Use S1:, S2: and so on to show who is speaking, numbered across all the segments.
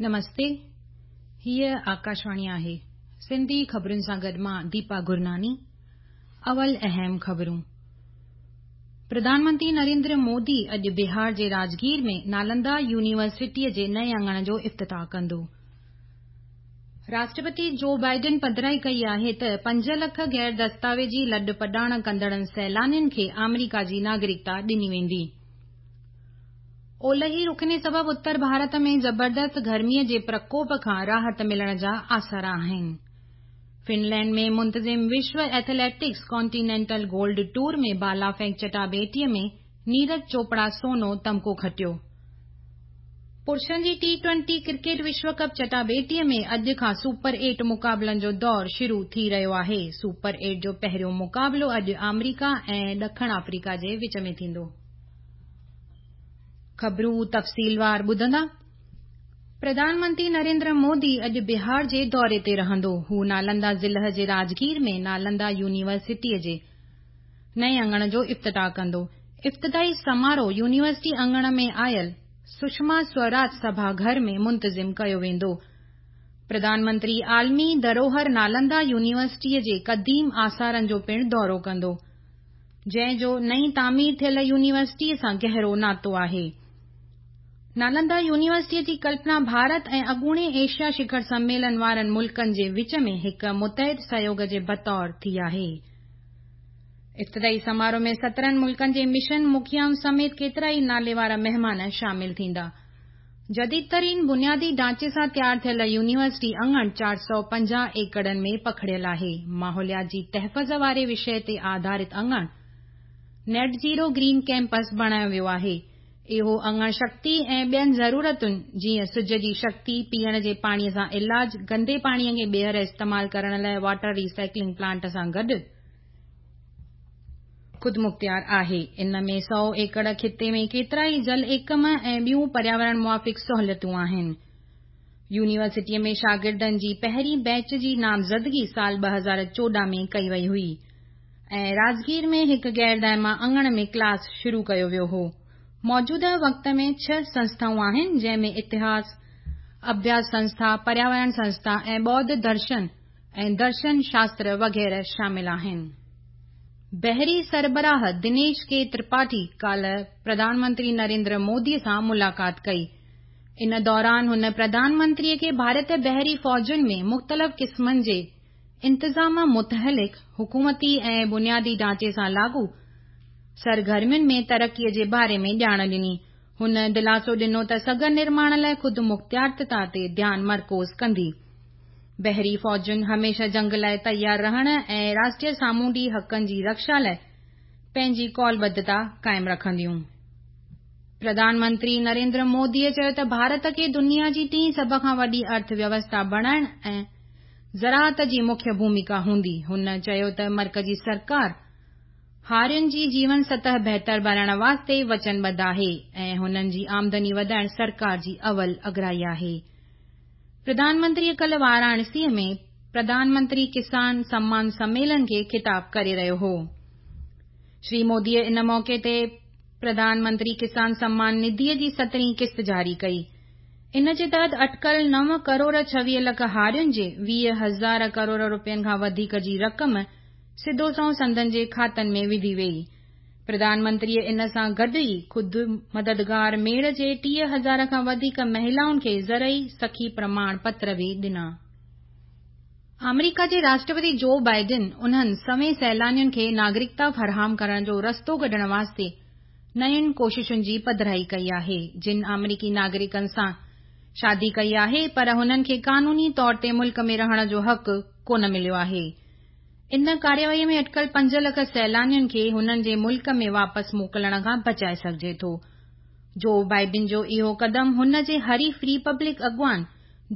S1: نمستي هيء آڪاشواڻي آهي سنڌي خبرن سان گڏ مان ديپا گرناني اول اهم خبرون پرڌان منتري نريندر مودي اڄ بهار جي راجگير ۾ نالندا يونيورسٽيء جي نئين اڱڻ جو افتتاح ڪندو. راشٽرپتي جو بائيڊن پڌرائي ڪئي آهي ته 5 لک غير دستاويزي لڏپلاڻ ڪندڙن سيلانين کي آمريڪا جي ناگريڪتا ڏني ويندي. اولهي رخني سبب اتر ڀارت ۾ زبردست گرميء جي پرڪوپ کان راحت ملڻ جا آثار آهن. فنلينڊ ۾ منتظم وشو ايٿليٽڪس ڪانٽينينٽل گولڊ ٽور ۾ بالا ڦيڪ چٽاڀيٽيء ۾ نيرج چوپڙا سونو تمغو کٽيو. پرشن جي ٽي ٽوئنٽي ڪرڪيٽ وشو ڪپ چٽاڀيٽيء ۾ اڄ کان سپر ايٽ مقابلن جو دور شروع ٿي رهيو آهي. سپر ايٽ جو پهريون مقابلو اڄ آمريڪا ۽ ڏکڻ آفريڪا جي وچ ۾ ٿيندو. خبرون تفصيلوار ٻڌندا. پرڌان منتري نريندر مودي اڄ بهار جي دوري تي رهندو. هو نالندا ضلع جي راجگير ۾ نالندا يونيورسٽيء جي نئين اڱڻ جو افتتاح ڪندو. افتتاحي سماروهه يونيورسٽي اڱڻ ۾ آيل سشما سوراج سڀا گهر ۾ منتظم ڪيو ويندو. پرڌان منتري عالمي ڌروهر نالندا يونيورسٽيء جي قديم آثارن جو پڻ دورو ڪندو. جنهن جو نئين تعمير ٿيل يونيورسٽيء سان گهرو ناتو آهي. نالندا يونيورسٽيء جي ڪلپنا ڀارت ۽ اڳوڻي ايشيا شکر سميلن وارن ملڪن جي وچ ۾ هڪ متحد سهيوڳ جي بطور ٿي آهي. افتتاحي سماروهه ۾ 17 ملڪن جي مشن مکيائن سميت ڪيترائي ناليوارا مهمان شامل ٿيندا. جديد ترين بنيادي ڍانچي سان تيار ٿيل يونيورسٽي اڱڻ 450 ايڪڙن ۾ پکڙيل آهي. ماحوليات جي تحفظ واري وشيه تي آڌارت اڱڻ نيٽ زيرو گرين ڪيمپس بڻايو ويو آهي. اهو اڱڻ شڪتي ۽ ٻين ضرورتن جيئن سج جي شڪتي، پيئڻ جي پاڻي سان علاج، گندي پاڻي کي ٻيهر استعمال ڪرڻ لاء واٽر ري سائيڪلنگ پلانٽ سان گڏ خودمختيار آهي. ان ۾ 100 ايڪڙ خطي ۾ ڪيترائي جل ايڪم ۽ ٻيون پرياورڻ موافق سهولتون آهن. يونيورسٽيء ۾ شاگردن جي پهرين بيچ جي نامزدگي سال 2014 ۾ ڪئي وئي هئي ۽ راجگير ۾ هڪ غير دائما اڱڻ ۾ ڪلاس شروع ڪيو ويو هو. موجوده وقت ۾ ڇهه سنسٿائون آهن، جنهن ۾ اتهاس، اڀياس سنسٿا، پرياورڻ سنسٿا ۽ ٻوڌ درشن ۽ درشن شاستر وغيره شامل آهن. بحري سربراهه دنيش ڪي ترپاٺي ڪالهه پرڌان منتري نريندر مودي سان ملاقات ڪئي. ان دوران هن پرڌان منتري کي ڀارتي بحري فوجن ۾ مختلف قسمن جي انتظام متعلق حڪومتي ۽ بنيادي ڍانچي سان لاڳو سرگرمين ۾ ترقي جي باري ۾ ڄاڻ ڏني. هن دلاسو ڏنو ته سگهه نرماڻ لاء خودمختيارتا تي ڌيان مرڪوز ڪندي. بحري فوجن هميشه جنگ لاء تيار رهڻ ۽ راشٽريه سامونڊي حقن جي رڪشا لاء پنهنجي قولبڌتا قائم رکنديون. پرڌان منتري نريندر موديء چيو ته ڀارت کي دنيا جي ٽين سڀ کان وڏي ارٿ ويوسٿا بڻائڻ ۽ زراعت جي مکيه ڀوميڪا هوندي. هن چيو ته مرڪزي سرڪار هارين جي جيون سطح بهتر بڻائڻ واسطي وچنبڌ آهي ۽ هنن جي آمدني وڌائڻ سرڪار جي اول اڳرائي آهي. پرڌان منتري ڪالهه واراڻسيء ۾ پرڌان منتري ڪسان سمان سميلن کي خطاب ڪري رهيو هو. شري موديء ان موقعي تي پرڌان منتري ڪسان سمان نڌيء جي سترهين قسط جاري ڪئي. ان جي تحت اٽڪل 9 ڪروڙ 26 لک هارين جي 20 هزار ڪروڙ رپين کان وڌيڪ جي رقم سڌو سنئون سندن جي کاتن ۾ وڌي ويئي. پرڌان منتريء ان سان گڏ ئي خود مددگار ميڙ جي 30 هزار کان وڌيڪ مهلائن کي زرعي سکي پرماڻ پتر به ڏنا. آمريڪا جي راشٽرپتي جو بائيڊن انهن سوين سيلانين کي ناگريڪتا فراهم ڪرڻ جو رستو ڪڍڻ واسطي نين ڪوششن جي پڌرائي ڪئي آهي، جن آمريڪي ناگريڪن سان شادي ڪئي آهي پر هنن کي قانوني طور تي ملڪ ۾ رهڻ جو حق ڪونه مليو آهي. ان ڪارروائيء ۾ اٽڪل 5 لک سيلانين کي هنن جي ملڪ ۾ واپس موڪلڻ کان بچائي سگهجي ٿو. جو بائيڊن جو اهو قدم هن جي حريف ريپبلڪ اڳواڻ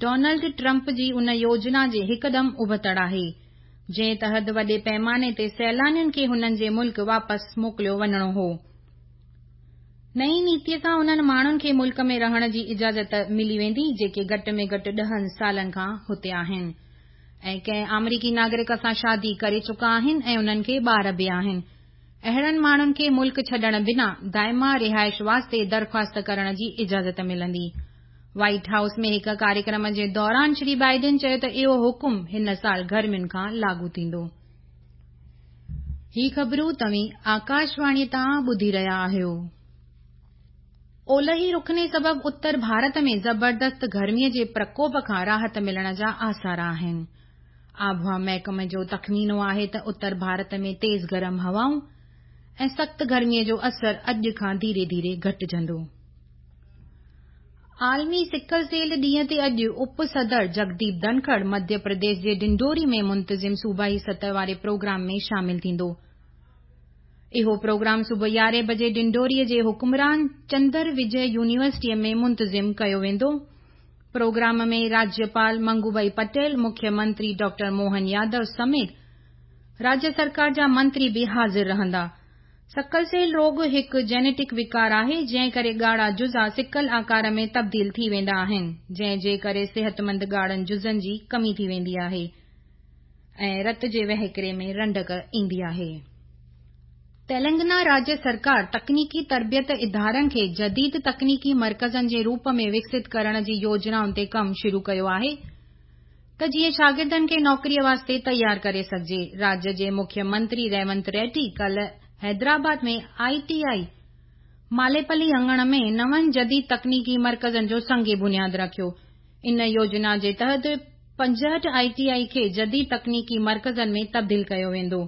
S1: ڊونلڊ ٽرمپ جي ان يوجنا جي هڪدم ابتڙ آهي، جنهن تحت وڏي پيماني تي سيلانين کي هنن جي ملڪ واپس موڪليو وڃڻو هو. نئين نيتيء سان انهن ماڻهن کي ملڪ ۾ رهڻ جي اجازت ملي ويندي، جيڪي گهٽ ۾ گهٽ 10 سالن کان هتي آهن. ۽ ڪنهن آمريڪي ناگرڪ سان شادي ڪري چڪا آهن ۽ انهن کي ٻار به آهن. اهڙن ماڻهن کي ملڪ ڇڏڻ بنا دائما رهائش واسطي درخواست ڪرڻ جي اجازت ملندي. وائيٽ هائوس ۾ هڪ ڪاريڪرم جي دوران شري بائيڊن چيو ته اهو حڪم هن سال گرمين کان لاڳو ٿيندو. هي خبرون توهين آڪاشواڻي تان ٻڌي رهيا آهيو. اولهي رخني سبب اتر ڀارت ۾ زبردست گرمي جي پرڪوپ کان راحت ملڻ جا آثار آهن. آبهوا محڪمي جو تخمينو آهي ته اتر ڀارت ۾ تيز گرم هوائون ۽ سخت گرمي جو اثر اڄ کان ڌيري ڌيري گهٽجندو. عالمي سڪل سيل ڏينهن تي اڄ اپ صدر جگديپ ڌنکڙ مڌيه پرديش جي ڊنڊوري ۾ منتظم صوبائي سطح واري پروگرام ۾ شامل ٿيندو. اهو پروگرام صبح يارهين بجي ڊنڊوري جي حڪمران چندر وجي يونيورسٽيء ۾ منتظم ڪيو ويندو. پروگرام ۾ راجيپال منگوڀائي پٽيل، مکيه منتري ڊاڪٽر موهن يادو سميت راجيه سرڪار جا منتري به حاضر رهندا. سڪل سيل روڳ هڪ جينيٽڪ وڪار آهي، جنهن ڪري ڳاڙها جزا سڪل آڪار ۾ تبديل ٿي ويندا آهن، جنهن جي ڪري صحتمند ڳاڙهن جزن جي ڪمي ٿي ويندي آهي ۽ رت جي وهڪري ۾ رنڊڪ ايندي آهي. تيلنگنا راجيه سرڪار تڪنيڪي تربيت ادارن کي جديد تڪنيڪي مرڪزن جي روپ ۾ وڪست ڪرڻ جي يوجنائن تي ڪم شروع ڪيو آهي، ته جيئن شاگردن کي نوڪريء واسطي تيار ڪري سگهجي. راجيه جي مکيه منتري ريونت ريڊي ڪالهه حيدرآباد ۾ آء ٽي آء ماليپلي اڱڻ ۾ نون جديد تڪنيڪي مرڪزن جو سنگ بنياد رکيو. ان يوجنا جي تحت 65 آء ٽي آء کي جديد تڪنيڪي مرڪزن ۾ تبديل ڪيو ويندو.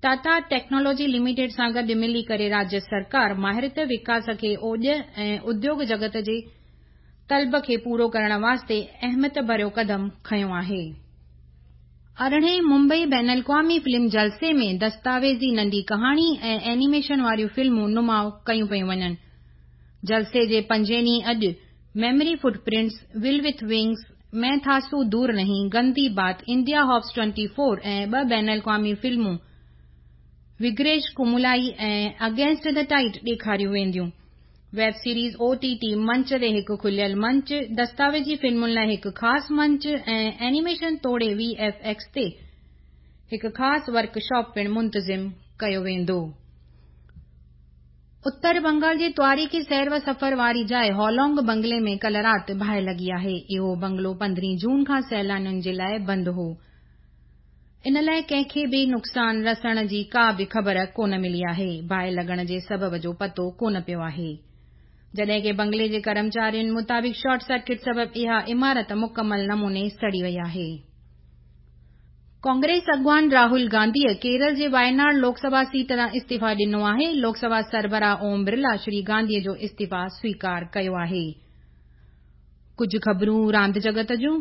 S1: ٽاٽا ٽيڪنالاجي لميٽيڊ سان گڏ ملي ڪري راجيه سرڪار مهارت وڪاس کي اوڄ ۽ اديوڳ جڳت جي طلب کي پورو ڪرڻ واسطي اهميت ڀريو قدم کنيو آهي. ارڙهين ممبئي بين الاقوامي فلم جلسي ۾ دستاويزي ننڍي ڪهاڻي ۽ اينيميشن واريون فلمون نماء ڪيون پيون وڃن. جلسي جي پنجين ڏينهن اڄ memory footprints, will with wings, مين ٿا سو دور نهين، گندي بات، انڊيا هاپس 24 ۽ ٻه بين الاقوامي فلمون وگريش ڪمولائي ۽ اگينسٽ the tight ڏيکاريون وينديون. ويب سيريز او ٽي ٽي منچ تي هڪ کليل منچ، دستاويزي فلمن لاء هڪ خاص منچ ۽ اينيميشن توڙي وي ايف ايڪس تي هڪ خاص ورڪشاپ پڻ منتظم ڪيو ويندو. اتر بنگال جي تواريخي سير و سفر واري جاء هالونگ بنگلي ۾ ڪلهه رات باهه لڳي آهي. اهو بنگلو 15 جون کان سيلانين جي لاء بند هو. ان لاء ڪنهن کي به نقصان رسڻ جي ڪا به خبر ڪونه ملي آهي. باهه لڳڻ جي سبب جو پتو ڪونه پيو آهي. جڏهن ڪه بنگلي جي ڪرمچارين مطابق شارٽ سرڪٽ سبب اها عمارت مڪمل نموني سڙي وئي آهي. ڪانگريس اڳواڻ راهول گانڌيء ڪيرل جي وايناڙ لوڪ سڀا سيٽ تان استعيفا ڏنو آهي. لوڪ سڀا سربراهه اوم برلا شري گانڌيء جو استعيفا سويڪار ڪيو آهي. ڪجهه خبرون راند جڳت جون.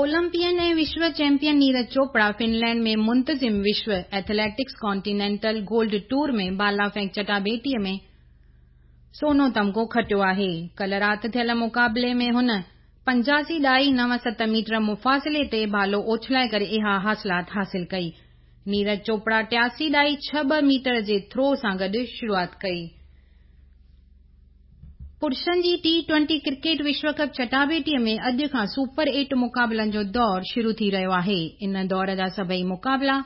S1: اولمپيئن ۽ وشو چيمپيئن نيرج چوپڙا فنلينڊ ۾ منتظم وشو ايٿليٽڪس ڪانٽينينٽل گولڊ ٽوئر ۾ بالا ڦينڪ چٽاڀيٽيء ۾ سونو تمغو کٽيو آهي. ڪلهه رات ٿيل مقابلي ۾ هن 85.97 ميٽر مفاصلي تي ڀالو اڇلائي ڪري اها حاصلات حاصل ڪئي. نيرج چوپڙا 83.62 ميٽر جي ٿرو سان گڏ شروعات ڪئي. پرشن جي ٽي ٽوئنٽي ڪرڪيٽ وشو ڪپ چٽاڀيٽيء ۾ اڄ کان سپر ايٽ مقابلن جو دور شروع ٿي رهيو آهي. ان دور جا سڀئي مقابلا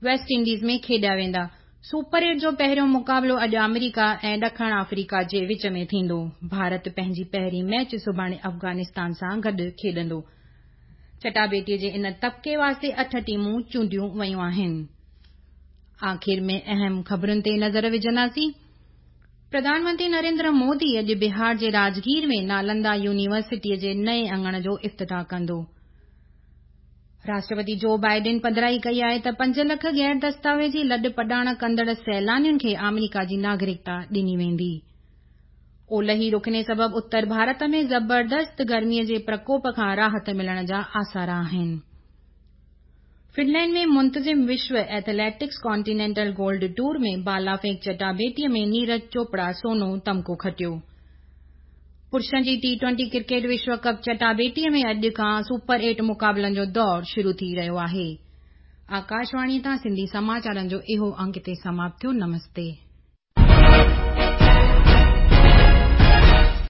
S1: ويسٽ انڊيز ۾ کيڏيا ويندا. سپر ايٽ جو پهريون مقابلو اڄ آمريڪا ۽ ڏکڻ آفريڪا جي وچ ۾ ٿيندو. ڀارت پنهنجي پهرين ميچ سڀاڻي افغانستان سان گڏ کيڏندو. چٽاڀيٽيء جي ان طبقي واسطي اٺ ٽيمون چونڊيون ويون آهن. آخر ۾ اهم خبرن تي نظر وجهنداسين. پرڌان منتري نريندر مودي اڄ بهار جي راجگير ۾ نالندا يونيورسٽيء جي نئين اڱڻ جو افتتاح ڪندو. راشٽرپتي جو بائيڊن پڌرائي ڪئي آهي ته 5 لک غير دستاويزي لڏ پڄاڻ ڪندڙ سيلانين کي آمريڪا جي ناگرڪتا ڏني ويندي. اولهي رخني سبب اتر ڀارت ۾ زبردست گرميء جي پرڪوپ کان راحت ملڻ جا آثار آهن. فنلينڊ ۾ منتظم وشو ايٿليٽڪس ڪانٽينينٽل گولڊ ٽوئر ۾ بالا ڦينڪ چٽاڀيٽيء ۾ نيرج چوپڙا سونو تمغو کٽيو. پرشن جي ٽي ٽوئنٽي ڪرڪيٽ وشو ڪپ چٽاڀيٽيء ۾ اڄ کان سپر ايٽ مقابلن جو دور شروع ٿي رهيو آهي. آڪاشواڻيء تان سنڌي سماچارن جو اهو انڪ هتي سماپت ٿيو. نمستي.